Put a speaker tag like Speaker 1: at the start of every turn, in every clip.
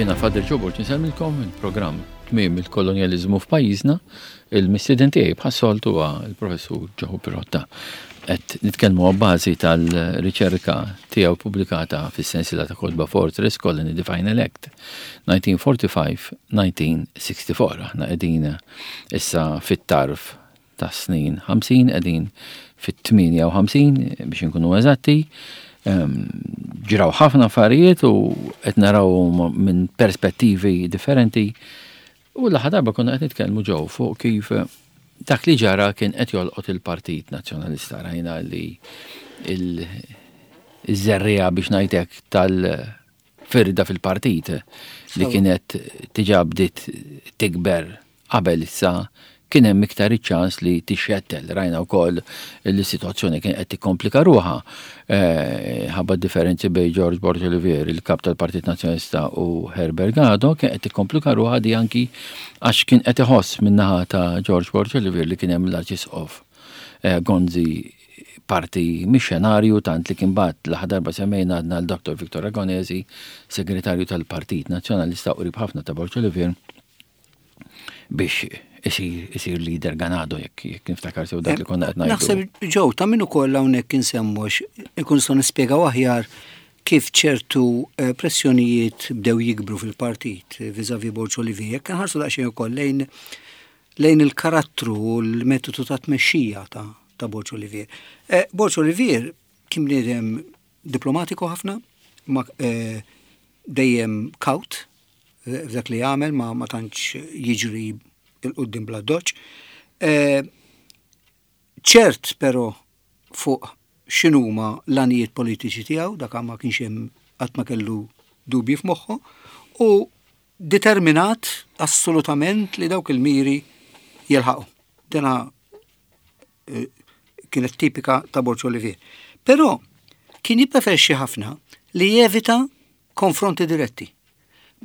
Speaker 1: Jiena Father Joe Borg insellmilkom il-programm Tmiem il-Kolonjaliżmu f'pajjiżna. Il-mistieden tiegħi bħas-soltu huwa l-Professur Joe Pirotta. Qed nitkellmu għabbażi tal-riċerka tiegħu pubblikata fis-sensiela ta' kotba Fortress Colony the Final Act 1945-1964. Aħna qegħdin issa fit-tarf ta' snin 50, qegħdin fit-58 biex inkunu eżatti. Ehm, ġraw ħafna affarijiet u qed naraw minn perspettivi differenti. U l-aħħar darba konna qed nitkellmu ġew fuq kif dak li ġara kien qed jolqot il-Partit Nazzjonalista rajna li il-żerriegħa biex ngħidlek tal-firda fil-partit li kienet tiġa bdiet tikber Qabel issa kien hemm iktar iċ-ċans li tixxettel. Rajna wkoll li s-sitwazzjoni kien qed tikkomplika ruħha eh, ħabba differenzi bejn George Borg Olivier, il-kap tal-Partit Nazzjonalista u Herbert Gado, kien qed tikkomplika ruħha di anki għax kien qed iħoss min-naħa ta' George Borg Olivier li kien hemm l-Arċisqof eh, Gonzi parti mix-xenarju tant li kien bagħat l-aħħar darba semmejna għadna l-Dr. Victor Ragonesi, segretarju tal-Partit Nazzjonalista u qrib ħafna ta' Borg Olivier, biex isir isir leader Ganado jekk jekk niftakar sew dak li konna qed ngħidu.
Speaker 2: Naħseb ġew ta' min ukoll hawnhekk insemmu ikun nistgħu nispjegaw aħjar kif ċertu eh, pressjonijiet bdew jikbru fil-partit eh, viżavi Borġ Olivier. Jekk nħarsu daqsxejn ukoll lejn lejn il-karattru u l-metodu ta' tmexxija ta' ta' Borġ Olivier. Eh, Borġ Olivier kien bniedem diplomatiku ħafna, ma, eh, dejjem kaut, f'dak li jagħmel ma ma tantx jiġri il qudiem bla doċ. Eh, ċert però fuq x'inhuma l-għanijiet politiċi tiegħu, dak ma kienx hemm qatt ma kellu dubji f'moħħu, u determinat assolutament li dawk il-miri jilħaqu. Dena eh, kienet tipika ta' Borġ Olivier. Però kien jippreferixxi ħafna li jevita konfronti diretti.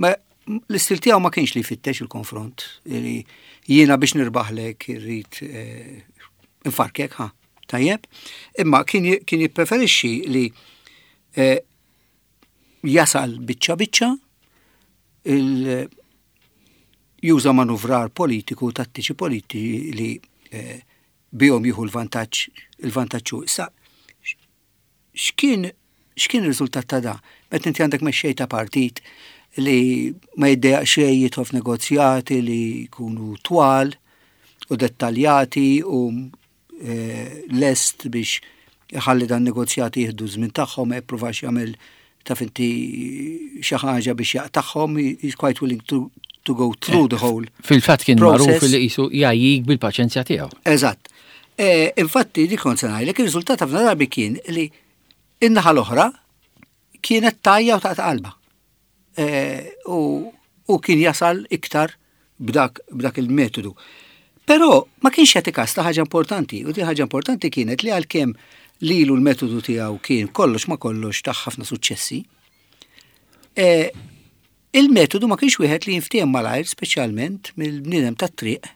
Speaker 2: Ma l-istil tiegħu ma kienx li jfittex il-konfront, li jiena biex nirbaħlek irrid eh, infarkek, ha, tajjeb. Imma kien jippreferixxi li eh, jasal biċċa biċċa il juża manuvrar politiku, tattiċi politiċi li eh, bihom jieħu l-vantaġġ il-vantaġġ Issa X'kien x'kien ir-riżultat ta' da? Meta inti għandek mexxej ta' partit li ma jiddejaq xejn jidħol f'negozjati li jkunu twal u dettaljati u eh, lest biex iħalli dan negozjati jieħdu żmien tagħhom ma jippruvax jagħmel taf inti xi ħaġa biex jaqtagħhom, he's quite willing to, to go through the whole.
Speaker 1: Fil-fatt kien magħruf li qisu jgħajjik bil-paċenzja tiegħu.
Speaker 2: Eżatt. E, infatti dik kont se ngħidlek ir-riżultat ħafna drabi kien li in-naħa l-oħra kienet tajja u taqta' qalba. E, u kien jasal iktar b'dak, b'dak il-metodu. Però ma kienx jagħti kas ta' ħaġa importanti, u di ħaġa importanti kienet li għalkemm lilu l-metodu tiegħu kien kollox ma kollox ta' ħafna suċċessi, e, il-metodu ma kienx wieħed li jinftiehem malajr speċjalment mill-bniedem tat-triq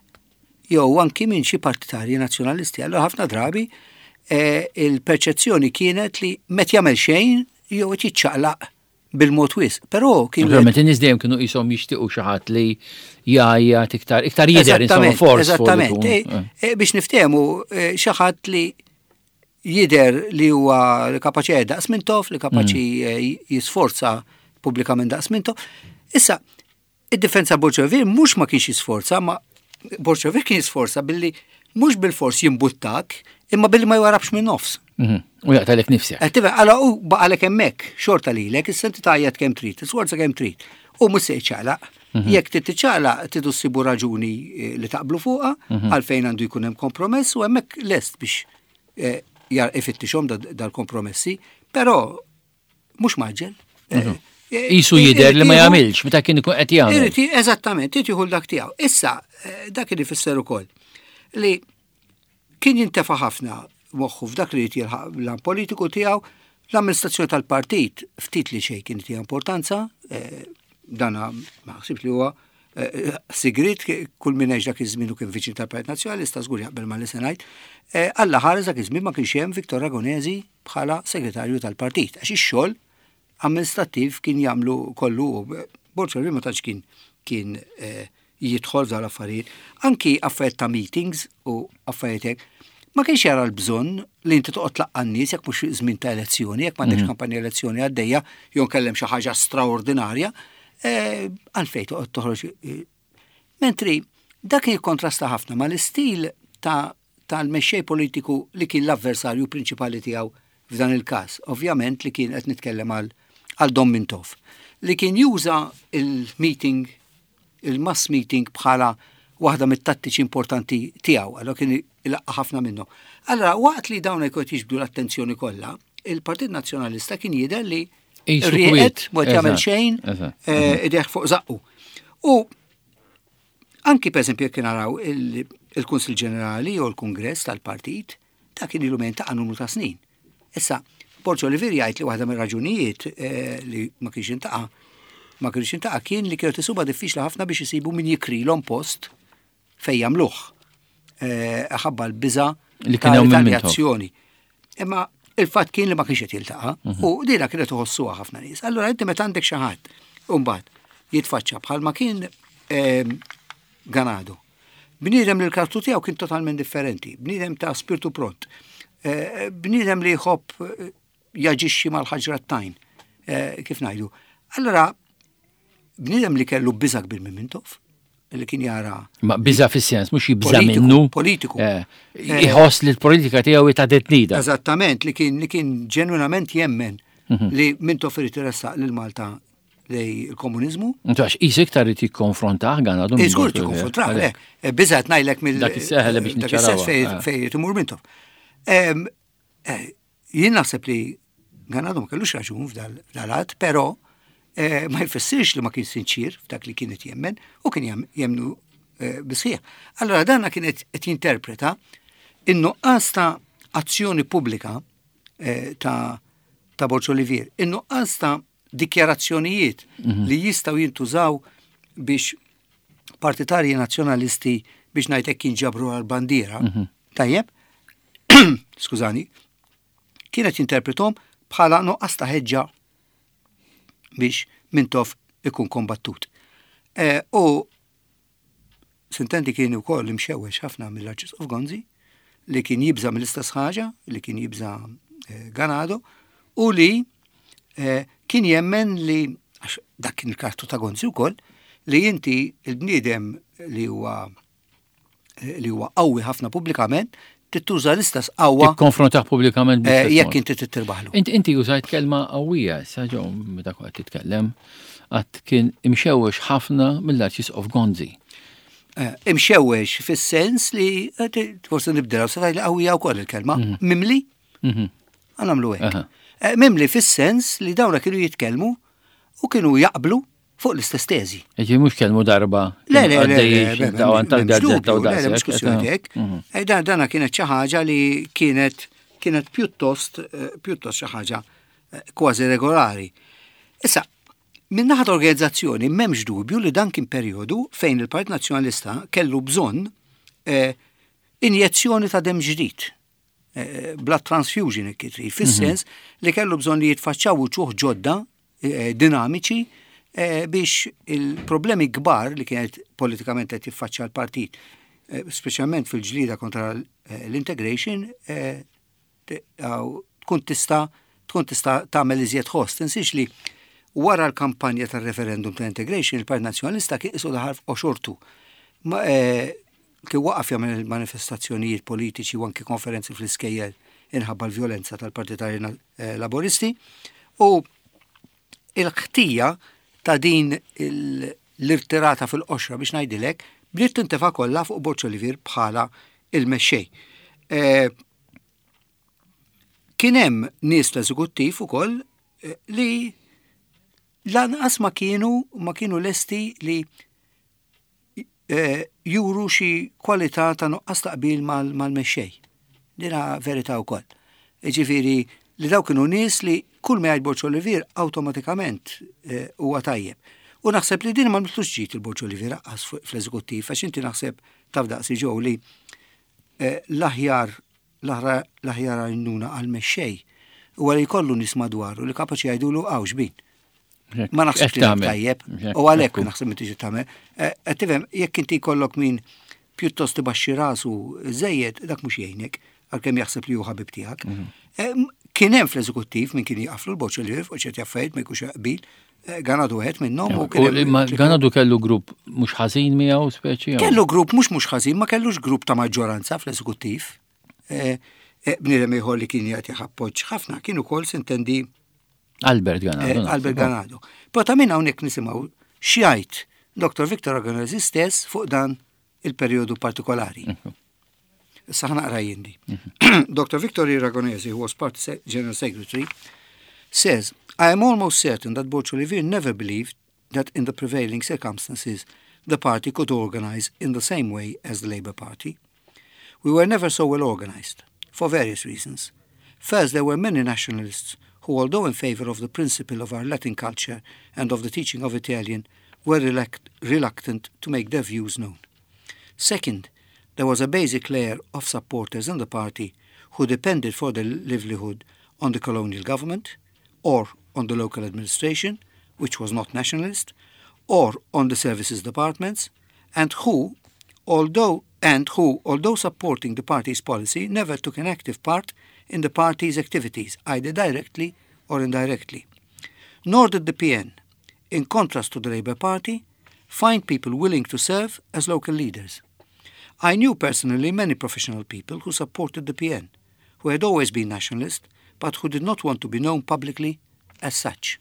Speaker 2: jew anki minn xi partitarji nazzjonalisti. Allura ħafna drabi e, il-perċezzjoni kienet li met jagħmel xejn jew qed jiċċaqlaq bil-mod wisq, però
Speaker 1: kien. Naturalment in-nies dejjem kienu qishom jixtiequ xi ħadd li jgħajjat iktar, iktar jidher insomma
Speaker 2: force. Eżattament. Eh, eh. Eh, biex niftehmu xi ħadd li jidher li huwa kapaċi daqs Mintoff, li kapaċi mm. jisforza pubblikament daqs Mintoff. Issa, Id-difensa Borg mhux ma kienx jisforza, ma Borg kien jisforza billi mhux bil-fors jimbuttak, imma billi ma jwarabx minn nofs.
Speaker 1: Mhm. U jaqtalek nifsek.
Speaker 2: Qed għala u baqalek hemmhekk, xorta lilek, issa inti tgħajjat kemm trid, tisforza kemm trid. U mhux se jċaqlaq. Mhm. Jekk trid tiċċaqlaq tridu ssibu raġuni eh, li taqblu fuqha, mhm. għalfejn għandu jkun hemm kompromess u hemmhekk lest biex eh, ifittixhom dal-kompromessi, però mhux maġġel.
Speaker 1: Eh, eh, Isu jidher li ma jagħmilx meta kien ikun qed jagħmel.
Speaker 2: Eżattament, irid jieħu dak tiegħu. Issa eh, dak li fisser ukoll li kien jintefa' ħafna moħħu f'dak li jrid jilħaq l politiku tiegħu l-amministrazzjoni tal-partit ftit li xejn kien tiegħu importanza, dana ma ħsibx li huwa sigrit kull min għex dak iż-żmien u kien viċin tal-Partit Nazzjonalista żgur jaqbel ma li se ngħid. Alla ħares dak iż-żmien ma kienx hemm Viktor Ragonesi bħala segretarju tal-partit għax ix-xogħol amministrattiv kien jagħmlu kollu. Borg Olivier ma tantx kien kien eh, jidħol f'dawn l-affarijiet. Anki affarijiet ta' meetings u affarijiet hekk. Ma kienx jara l-bżonn li inti toqgħod tlaqqa' n-nies jekk mhux żmien ta' elezzjoni, jekk m'għandekx mhm. kampanja elezzjoni għaddejja, jew nkellem xi ħaġa straordinarja, eh, għalfejn toqgħod toħroġ. Eh, mentri dak kien jikkontrasta ħafna mal-istil ta' tal-mexxej politiku li kien l-avversarju prinċipali tiegħu f'dan il-każ, ovvjament li kien qed nitkellem għal għal Dom Mintoff, li kien juża il-meeting, il-mass meeting bħala waħda mit-tattiċi importanti tiegħu, allora kien ilaqqa ħafna minnu. Allora waqt li dawn jkun jiġbdu l-attenzjoni kollha, il-Partit Nazzjonalista kien jidher li rieqed ma jagħmel xejn eh, ideħ fuq zaqqu. U Anki pereżempju jekk naraw il-Kunsill Ġenerali jew il-Kungress tal-partit, ta' kien ilu ta' numru ta' snin. Issa, Borġ Olivier jgħid li waħda mir-raġunijiet eh, li ma kienx intaqa' ma kienx intaqa' kien li kienet isuba diffiċli ħafna biex isibu min jikrilhom post fejn jagħmluh. Eh, ħabba l-biża
Speaker 1: li kien hemm
Speaker 2: reazzjoni. Imma il-fatt kien li ma kienx qed jiltaqa' mhm. u dina kienet iħossuha ħafna nies. Allura inti meta għandek xi ħadd mbagħad jitfaċċa bħalma kien ehm, Ganado. Bniedem li l-karattru tiegħu kien totalment differenti, bniedem ta' spirtu pront, eh, bniedem li jħobb eh, jaġixxi mal-ħaġra tajn, kif ngħidu. Allura Bniedem li kellu biża kbir minn Mintoff, li kien jara.
Speaker 1: Ma biża fis-sens, mhux jibża minnu.
Speaker 2: Politiku.
Speaker 1: Eh, eh, iħoss li l-politika tiegħu ta' detnida.
Speaker 2: Eżattament, li kien li kien ġenwinament jemmen mhm. li Mintoff irid iressaq lil Malta lej il-komunizmu.
Speaker 1: Intu għax qis iktar irid jikkonfrontah gan
Speaker 2: għadu. Iżgur tikkonfrontah, le. Eh, biża ngħidlek mill.
Speaker 1: Dak is-seħel biex
Speaker 2: niċċaraw. Fej imur Mintoff. Jien naħseb li Ganado ma kellux raġun f'dal-att, però eh, ma jfissirx li ma kien sinċir f'dak li kienet jemmen u kien jemnu eh, bisħieħ. Allora danna kienet qed jinterpreta in-nuqqas ta' azzjoni pubblika eh, ta' ta' Borġ Olivier, in-nuqqas ta' dikjarazzjonijiet mhm. li jistgħu jintużaw biex partitarji nazzjonalisti biex ngħidlek jinġabru għal-bandiera. Mhm. Tajjeb, skużani, kienet jinterpretom bħala nuqqas ta' ħeġġa biex Mintoff ikun kombattut. E, u sintendi kien ukoll imxewwex ħafna mill-Arċisqof Gonzi li kien jibża mill-istess ħaġa, li kien jibża e, Ganado, u li e, kien jemmen li għax dak kien il-kartu ta' Gonzi wkoll, li inti il-bniedem li huwa li huwa qawwi ħafna pubblikament, tittuża l-istess qawwa.
Speaker 1: Tikkonfrontah pubblikament.
Speaker 2: Eh, jekk inti tittirbaħlu.
Speaker 1: Inti inti użajt kelma qawwija, issa ġew meta kont titkellem, għad kien imxewwex ħafna mill-Arċisqof Gonzi.
Speaker 2: Eh, imxewwex fis-sens li eh, forsi nibdilha se li qawwija wkoll il-kelma. Mhm. Mimli? Mhm. Għanamlu hekk. Mimli fis-sens li dawna kienu jitkellmu u kienu jaqblu fuq l-istess teżi.
Speaker 1: Ġi mhux kelmu darba.
Speaker 2: Le, le, le, le, tal-gazzetta u daqshekk. Mhux kwistjoni hekk. Mhm. Eh, dana kienet xi ħaġa li kienet kienet pjuttost eh, pjuttost xi ħaġa eh, kważi regolari. Issa, minn naħa organizzazzjoni m'hemmx dubju li dan kien perjodu fejn il-Partit Nazzjonalista kellu bżonn injezzjoni ta' dem ġdid blood transfusion trid, fis-sens mhm. li kellu bżonn li jitfaċċaw uċuħ ġodda eh, dinamiċi eh, biex il-problemi kbar li kienet politikament qed jiffaċċja l-partit, eh, speċjalment fil-ġlida kontra l-integration, tkun tista' tkun tista' tagħmel iżjed ħoss. Tinsiex li wara l-kampanja tar-referendum ta' integration, il-Partit Nazzjonalista kien isu daħal f'qoxortu. Kien waqaf jagħmel manifestazzjonijiet politiċi u anki konferenzi fl-iskejjel inħabba l-vjolenza tal-partitarji eh, laboristi u il-ħtija ta' din l-irtirata fil-qoxra biex ngħidilek bdiet tintefa' kollha fuq Borġ Olivier bħala il-mexxej. Eh, kien hemm nies l-eżekuttiv ukoll eh, li lanqas ma kienu ma kienu lesti li Eh, juru xi kwalità ta' nuqqas ta' qbil mal-mexxej. Dina verità wkoll. Ġifieri li daw kienu nies li kull ma jgħid Borġ Olivier awtomatikament eh, huwa tajjeb. U naħseb li din ma mitlux ġid il-Borġ Olivier aqqas fl-eżekuttiv għax inti naħseb taf daqsi ġew li eh, l-aħjar l-aħjar għajnuna għal mexxej huwa li jkollu nies madwaru li kapaċi jgħidulu għaw xbin. Ma naħsibx li tajjeb. U għalhekk naħseb li tiġi tagħmel. Eh, qed tifhem jekk inti jkollok min pjuttost ibaxxi rasu żejjed dak mhux jgħinek għalkemm jaħseb li hu ħabib tiegħek. Mhm. Eh, kien hemm fl-eżekuttiv min kien jaqaflu l-boċ li fuq ċerti affarijiet ma jkunx qbil, eh, Ganadu għed minnhom u
Speaker 1: kien Ganadu kellu grupp mhux ħażin miegħu speċi.
Speaker 2: Kellu grupp mhux mhux ħażin, ma kellux grupp ta' maġġoranza fl-eżekuttiv. Eh, bniedem ieħor li kien jagħti appoġġ ħafna kien ukoll sintendi
Speaker 1: Albert Ganado.
Speaker 2: Albert Ganado. Però ta' minn hawnhekk nisimgħu x'jgħid Dr. Victor Agonesi stess fuq dan il-perjodu partikolari. Mhm. Issa ħa naqra jien di. Mhm. Dr. Victor Iragonesi, who was party general secretary, says, I am almost certain that Borg Olivier never believed that in the prevailing circumstances the party could organize in the same way as the Labour Party. We were never so well organized, for various reasons. First, there were many nationalists who, although in favor of the principle of our Latin culture and of the teaching of Italian, were reluctant to make their views known. Second, there was a basic layer of supporters in the party who depended for their livelihood on the colonial government or on the local administration, which was not nationalist, or on the services departments, and who, although and who, although supporting the party's policy, never took an active part in the party's activities, either directly or indirectly. Nor did the PN, in contrast to the Labour Party, find people willing to serve as local leaders. I knew personally many professional people who supported the PN, who had always been nationalist, but who did not want to be known publicly as such.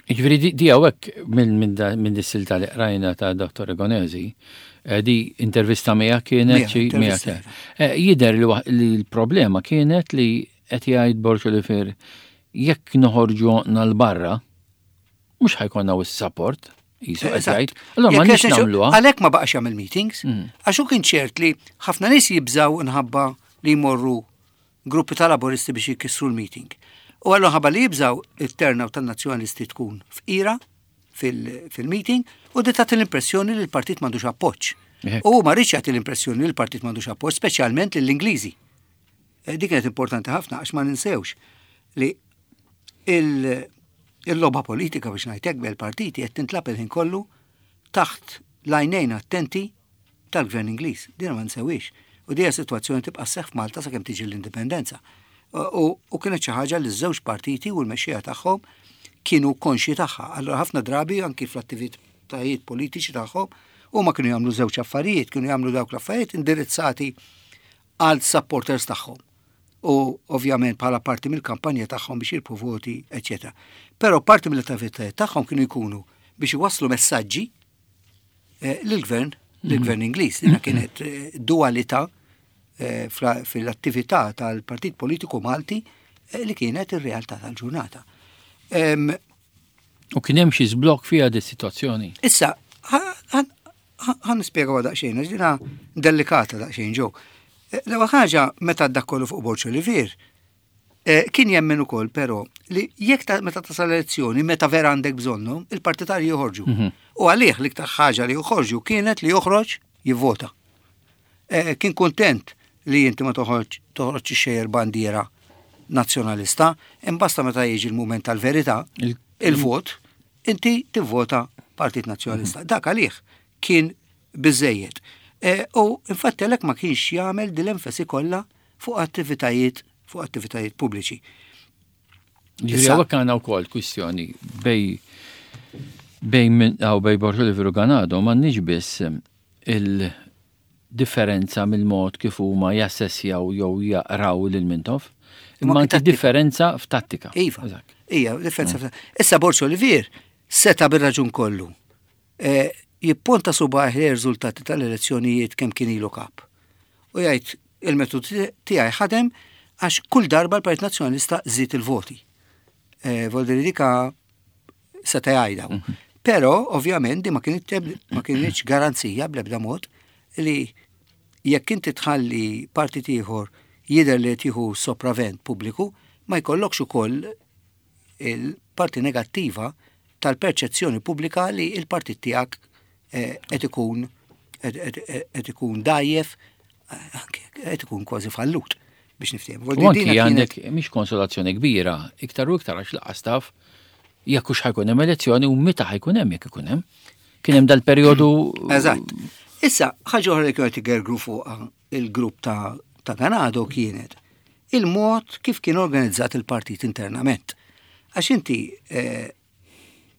Speaker 1: Jiġifieri di hawnhekk minn dis-silta li qrajna ta' Dr. Egonesi, eh, di intervista miegħek kienet xi miegħek. Eh, jidher li l-problema kienet li qed jgħid Borg Olivier jekk noħorġu l barra mhux ħa jkollna wisq support. Jisu qed jgħid. Allora ma nix nagħmluha.
Speaker 2: Għalhekk ma baqax jagħmel meetings, mm. għax hu kien ċert li ħafna nies jibżaw nħabba li jmorru gruppi ta' laboristi biex jkissru l-meeting. U għallu ħabba li jibżaw it-turnout tan-nazzjonalisti tkun fqira fil-meeting u di tagħti l-impressjoni li l-partit m'għandux appoġġ. U ma rridx jagħti l-impressjoni li l-partit m'għandux appoġġ, speċjalment lill-Ingliżi. Eh, dik kienet importanti ħafna għax ma ninsewx li il-logħba politika biex ngħidlek bejn partiti qed tintlagħab il-ħin kollu taħt l-għajnejn attenti tal-gvern Ingliż. Din ma nsewix. U dija situazzjoni tibqa' sseħħ f'Malta sakemm tiġi l-indipendenza. U kienet xi ħaġa li ż-żewġ partiti u l-mexxija tagħhom kienu konxji tagħha. Allura ħafna drabi anki fl-attivitajiet politiċi tagħhom huma kienu jagħmlu żewġ affarijiet, kienu jagħmlu dawk l-affarijiet indirizzati għal supporters tagħhom. U ovvjament bħala parti mill-kampanja tagħhom biex jirbħu voti, eċetera. Però parti mill-attivitajiet tagħhom kienu jkunu biex iwasslu messaġġi eh, lill-gvern, lill-gvern Ingliż. Dina kienet eh, dualità eh, fil-attività tal-Partit Politiku Malti li kienet ir-realtà tal-ġurnata.
Speaker 1: U kien hemm xi żblokk fiha di situazzjoni.
Speaker 2: Issa, ħa nispjegaw daqsxejn, għax dina delikata daqsxejn ġew. L-ewwel ħaġa meta dak kollu fuq Borg Olivier, kien jemmen ukoll però li jekk ta' meta tasal elezzjoni, meta vera għandek bżonnhom, il-partitarji joħorġu. Mhm. U għalih l-iktar ħaġa li joħorġu kienet li joħroġ jivvota. Kien kontent li inti ma toħroġ toħroġ xejjer bandiera nazzjonalista, imbasta meta jiġi l-mument tal-verità, il-vot, inti tivvota Partit Nazzjonalista. Dak għalih kien biżejjed. E, u infatti għalhekk ma kienx jagħmel dil-enfasi kollha fuq attivitajiet fuq attivitajiet pubbliċi.
Speaker 1: Ġifieri hawnhekk għandna wkoll kwistjoni bejn bejn minn għaw bejn Borg Olivier u Ganado m'għandniex biss il-differenza mill-mod kif huma jassessjaw jew jaqraw lil Mintoff, imma anki differenza f'tattika.
Speaker 2: Iva. Ija, differenza f'tattika. Issa Borg Olivier seta bir-raġun kollu. Eh, jipponta subgħajh ir-riżultati tal-elezzjonijiet kemm kien ilu kap. U jgħid il-metodu tiegħi ħadem għax kull darba l-Partit Nazzjonalista żied il-voti. Eh, Voldiri dika seta' jgħidha. Mhm. Però ovvjament di ma kienet ma kienx garanzija bl-ebda mod li jekk inti tħalli partit ieħor jidher li tieħu sopravvent pubbliku, ma jkollokx ukoll il-parti negattiva tal-perċezzjoni pubblika li il-partit tiegħek eh, qed ikun qed ikun dajjef, qed ikun kważi fallut biex niftehmu.
Speaker 1: U anki għandek mhix konsolazzjoni kbira, iktar u iktar għax lanqas taf. Jekk hux ħajkun hemm elezzjoni u meta ħajkun hemm jekk ikun hemm. Kien hemm dal-perjodu.
Speaker 2: Eżatt. Issa, ħaġa oħra li kienu qed igergru fuqha il-grupp ta' ta' Ganado kienet il-mod kif kien organizzat il-partit internament. Għax inti eh,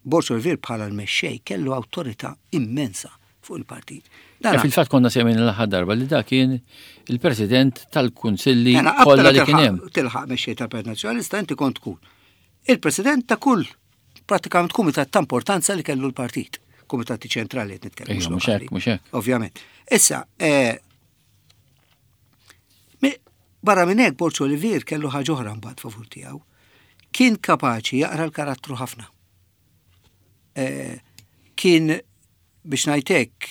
Speaker 2: Borg Olivier bħala l-mexxej kellu awtorità immensa fuq il-partit.
Speaker 1: Eh, fil-fatt konna semmejna l-aħħar darba li da kien il-president tal-kunsilli kollha li kien hemm.
Speaker 2: Tilħaq mexxej tal-Partit Nazzjonalista inti kont tkun il-president ta' kull pratikament kumitat ta' importanza li kellu l-partit. Kumitati ċentrali qed nitkellem.
Speaker 1: Mhux hekk, mhux hekk.
Speaker 2: Ovvjament. Issa, eh, barra minn hekk Borg Olivier kellu ħaġa oħra mbagħad favur tiegħu. Kien kapaċi jaqra l-karattru ħafna. Eh, kien biex ngħidlek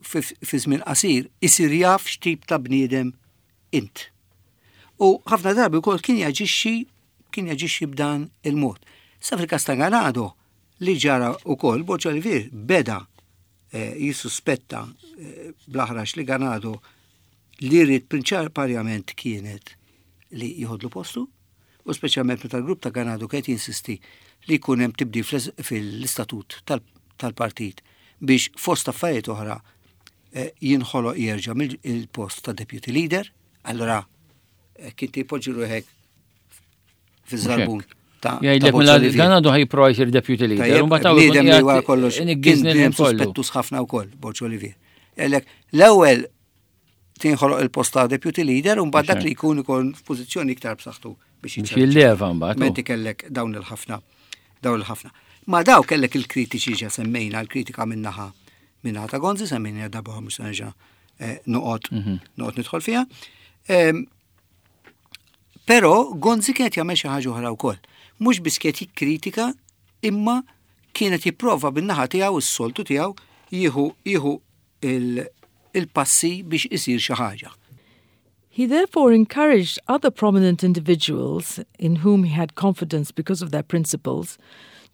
Speaker 2: fi żmien qasir isir jaf x'tip ta' bniedem int. U ħafna drabi wkoll kien jaġixxi kien jaġixxi b'dan il-mod. Sa fil-każ ta' Ganado li ġara wkoll Borg Olivier beda eh, jissuspetta eh, bl-aħrax li Ganado li rrid prinċipalment kienet li jieħodlu postu u speċjalment meta l-grupp ta' Ganado kienet jinsisti li jkun hemm tibdil fil-istatut tal-partit biex fost affarijiet oħra eh, jinħoloq jerġa' mill-post ta' deputy leader, allora eh, kien tipoġġi ruħek fiż-żarbun.
Speaker 1: Ta' Jgħidlek mela dan għadu ħajprova jsir deputy leader.
Speaker 2: U mbagħad bniedem li wara kollox kien suspettus ħafna wkoll Borġ Olivier. Jgħidlek l-ewwel tinħoloq il-post ta' deputy leader u mbagħad dak li jkun ikun f'pożizzjoni iktar b'saħħtu
Speaker 1: biex jilleva mbagħad.
Speaker 2: Menti kellek dawn il-ħafna dawn il-ħafna. Ma daw kellek il-kritiċi ġa semmejna l-kritika minnaħa minnaħa ta' Gonzi semmejna darba mhux se nerġa' eh, noqgħod mhm. noqgħod nidħol fiha. Ehm, però Gonzi kienet jagħmel xi ħaġa oħra wkoll. Mhux biss kienet jikkritika imma kienet jipprova bin-naħa tiegħu s-soltu tiegħu jieħu jieħu il-passi biex isir xi ħaġa.
Speaker 3: He therefore encouraged other prominent individuals, in whom he had confidence because of their principles,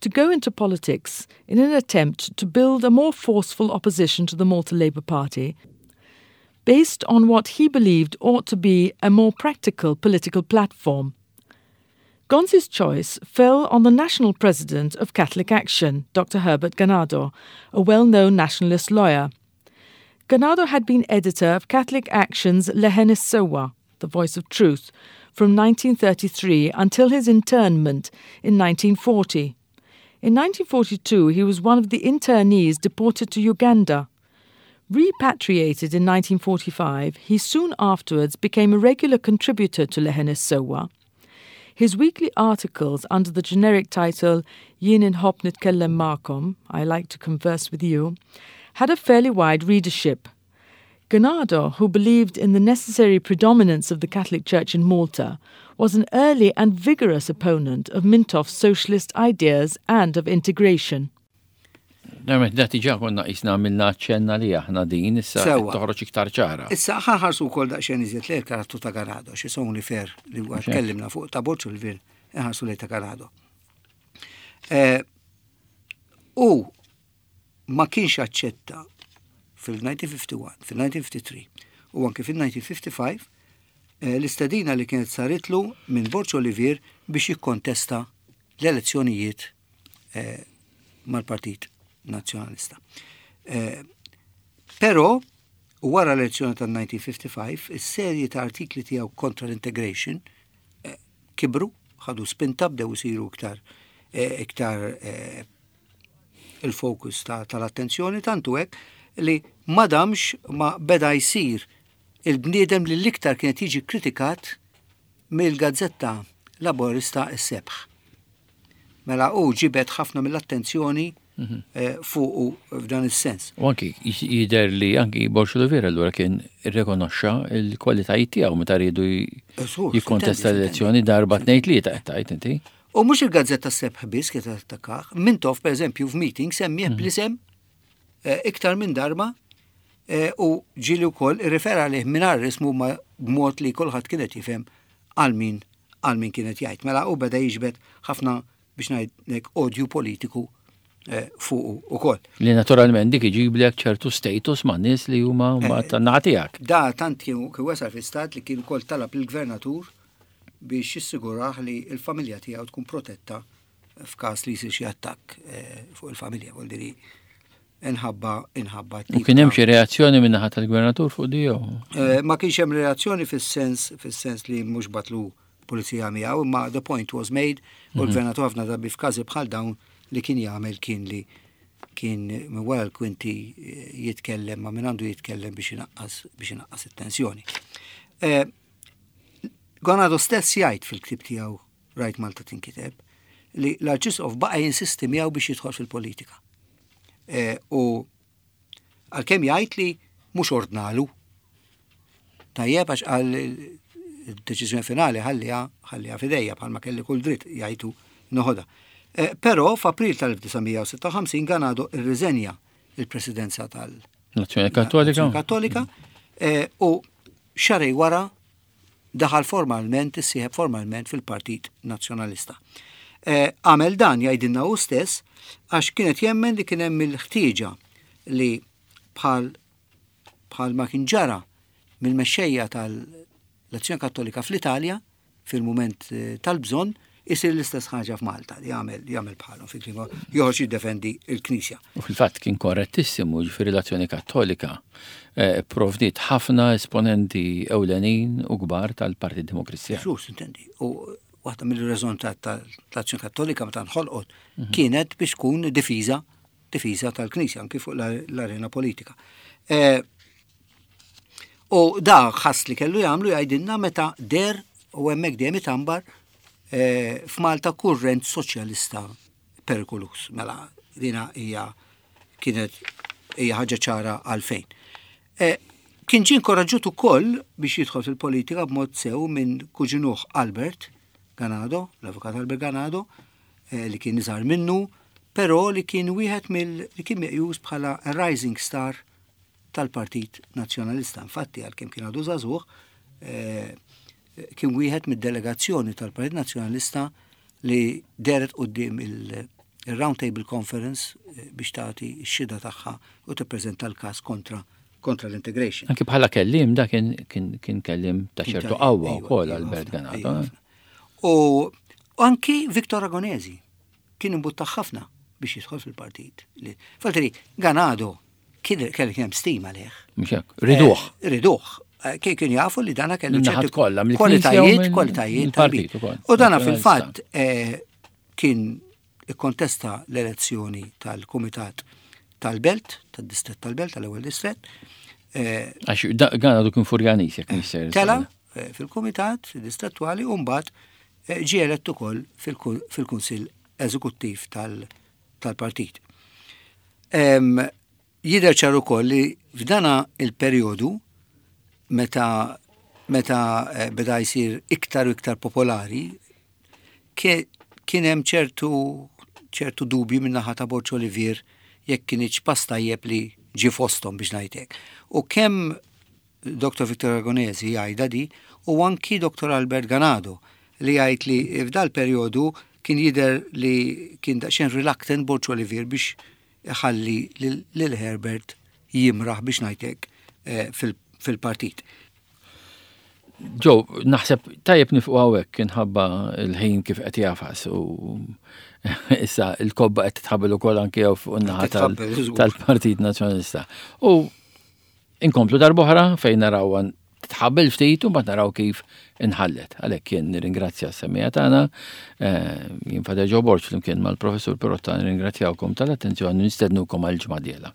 Speaker 3: to go into politics in an attempt to build a more forceful opposition to the Malta Labour Party, based on what he believed ought to be a more practical political platform. Gonzi's choice fell on the national president of Catholic Action, Dr. Herbert Ganado, a well-known nationalist lawyer. Ganado had been editor of Catholic Action's Leħen is-Sewwa, The Voice of Truth, from 1933 until his internment in 1940. In 1942, he was one of the internees deported to Uganda. Repatriated in 1945, he soon afterwards became a regular contributor to Leħen is-Sewwa. His weekly articles under the generic title Jien Inħobb Nitkellem Magħkom, I Like to Converse with You, had a fairly wide readership. Ganado, who believed in the necessary predominance of the Catholic Church in Malta, was an early and vigorous opponent of Mintoff's socialist ideas and of integration.
Speaker 1: Nermet, da tiġa konna jisna għamilna ċenna li aħna din, issa toħroġ iktar ċara.
Speaker 2: Issa ħanħarsu wkoll daqsxejn iżjed lejn karattru ta' Ganado, xi only fair li huwa tkellimna fuq ta' Borġ il-Vir, inħarsu lejn ta' Ganado. Eh, u ma kienx aċċetta fil-1951, fil-1953 u anke fil-1955 eh, l-istedina li kienet saritlu minn Borġ Olivier biex jikkontesta l-elezzjonijiet eh, mal-Partit Nazzjonalista. Eh, però wara l-elezzjoni tal-1955, is-serje ta' artikli tiegħu kontra l-integration eh, kibru, ħadu spinta bdew isiru iktar iktar il-fokus tal-attenzjoni tantu hekk li ma damx ma beda jsir il-bniedem li l-iktar kienet jiġi kritikat mill-gazzetta Laborista s-Sebħ. Mela hu ġibed ħafna mill-attenzjoni mhm. eh, fuqu f'dan is-sens.
Speaker 1: U anki jidher li anki Borg Olivier allura kien irrikonoxxa l-kwalitajiet tiegħu meta riedu jikkontesta l-elezzjoni darba tnejn tlieta qed tgħid inti.
Speaker 2: U mhux il-gazzetta Sebħ biss kienet attakah, Mintoff pereżempju f'meeting semmih mhm. bl-isem eh, iktar minn darba eh, u ġieli wkoll irrifera għalih mingħajr ismu ma b'mod li kulħadd kienet jifhem għal min għal min kienet jgħid. Mela u beda jiġbed ħafna biex ngħidlek odju politiku eh, fuqu ukoll.
Speaker 1: Li naturalment dik iġiblek ċertu status ma' nies li huma eh, tan-naħa tiegħek.
Speaker 2: Da tant kien wasal fi stat li kien ukoll talab lill-gvernatur biex jissigurah li l-familja tiegħu tkun protetta. f'każ li jsir xi attakk eh, fuq il-familja, vuol diri inħabba inħabba.
Speaker 1: U kien hemm xi reazzjoni minn naħa tal-gvernatur fuq di jew?
Speaker 2: Eh, ma kienx hemm reazzjoni fis-sens fis-sens li mhux batlu pulizija miegħu, imma the point was made u mhm. l-gvernatur ħafna drabi f'każi bħal dawn li kien jagħmel kien li kien minn wara l-kwinti eh, jitkellem ma minn għandu jitkellem biex inaqqas biex inaqqas it-tensjoni. Eh, Gonado stess jgħid fil-ktib tiegħu Rajt Malta tinkiteb li l-Arċisqof baqa' jinsisti miegħu biex jidħol fil-politika. E, u għalkemm jgħid li mhux ordnalu. Tajjeb għax qal id-deċiżjoni finali ħalliha ħalliha fidejja bħalma kelli kull dritt jgħidu noħodha. E, però f'April tal-1956 Ganado irriżenja il-presidenza tal-
Speaker 1: Nazzjoni Kattolika.
Speaker 2: Kattolika e, u xarej wara daħal formalment, issieħeb formalment fil-Partit Nazzjonalista. Eh, għamel dan jgħidilna hu stess għax kienet jemmen li kien hemm il-ħtieġa li bħal bħal ma kien ġara mill-mexxejja tal-Azzjoni Kattolika fl-Italja fil-mument eh, tal-bżonn isir l-istess ħaġa f'Malta li jagħmel jagħmel bħalhom fi klima joħroġ jiddefendi l-Knisja.
Speaker 1: U fil-fatt kien korrettissimu ġifieri l-Azzjoni Kattolika eh, provdiet ħafna esponenti ewlenin u kbar tal-Partit Demokristjan.
Speaker 2: Ġus, intendi. U waħda mill-rażon tal-Azzjoni Kattolika meta nħolqot mhm. kienet biex tkun difiża difiża tal-Knisja anki fuq l-arena politika. Eh, u da ħass li kellu jagħmlu jgħidilna meta der u hemmhekk dejjem itambar eh, f'Malta kurrent soċjalista perikolus. Mela dina hija kienet hija ħaġa ċara għalfejn. Eh, kien ġie inkoraġġut ukoll biex jidħol fil-politika b'mod sew minn kuġinuh Albert Ganado, l-avukat Albert Ganado, eh, li kien iżgħar minnu, però li kien wieħed mill li kien meqjus bħala rising star tal-Partit Nazzjonalista. Infatti, għalkemm kien għadu żagħżugħ, eh, kien wieħed mid-delegazzjoni tal-Partit Nazzjonalista li deret quddiem il-Round Table Conference eh, biex tagħti x-xhieda tagħha u tippreżenta l-każ kontra kontra l-integration.
Speaker 1: Anki bħala kellim da kien kien kellim ta' ċertu qawwa wkoll Albert Ganado. Eh.
Speaker 2: U anki Victor Agonesi kien imbuttat ħafna biex jidħol fil-partit. Faltri, Ganado kien kelli hemm stima leh.
Speaker 1: Mhux hekk, riduh.
Speaker 2: Eh, riduh. Eh, kien kien jafu li dana kellu
Speaker 1: ċerti kollha
Speaker 2: kwalitajiet, kwalitajiet tal-partit. U dana fil-fatt eh, kien ikkontesta l-elezzjoni tal-Kumitat tal-Belt, tad-Distret tal-Belt, tal-ewwel distret.
Speaker 1: Għax għana du kien furjanis jekk mister.
Speaker 2: Tela fil-Kumitat distrettuali u mbagħad ġie elett ukoll fil-Kunsill Eżekuttiv tal-partit. Jidher ċar ukoll li f'dana il-perjodu meta meta eh, beda jsir iktar u iktar popolari, kien hemm ċertu ċertu dubji minn naħa ta' Borġ Olivier jekk kienx pass tajjeb li ġie fosthom biex ngħidlek. U kemm Dr. Victor Aragonesi jgħidha di u anki Dr. Albert Ganado li jgħid li f'dal perjodu kien jidher li kien daqsxejn reluctant Borg Olivier biex iħalli lil Herbert jimraħ biex ngħidlek eh, fil-partit.
Speaker 1: Ġo, naħseb tajjeb nifqu hawnhekk inħabba l-ħin kif qed jafas u issa l-kobba qed titħabbel ukoll anke fuq in-naħa tal-Partit Nazzjonalista. U Inkomplu darb'oħra fejn narawha titħabbel ftit u mbagħad naraw kif inħallet. Għalhekk jien nirringrazzja s-semmiegħa tagħna, eh, jien Fader Joe Borg flimkien mal-Professur Pirotta nirringrazzjawkom tal-attenzjoni nistednukom għal ġimgħa dieħla.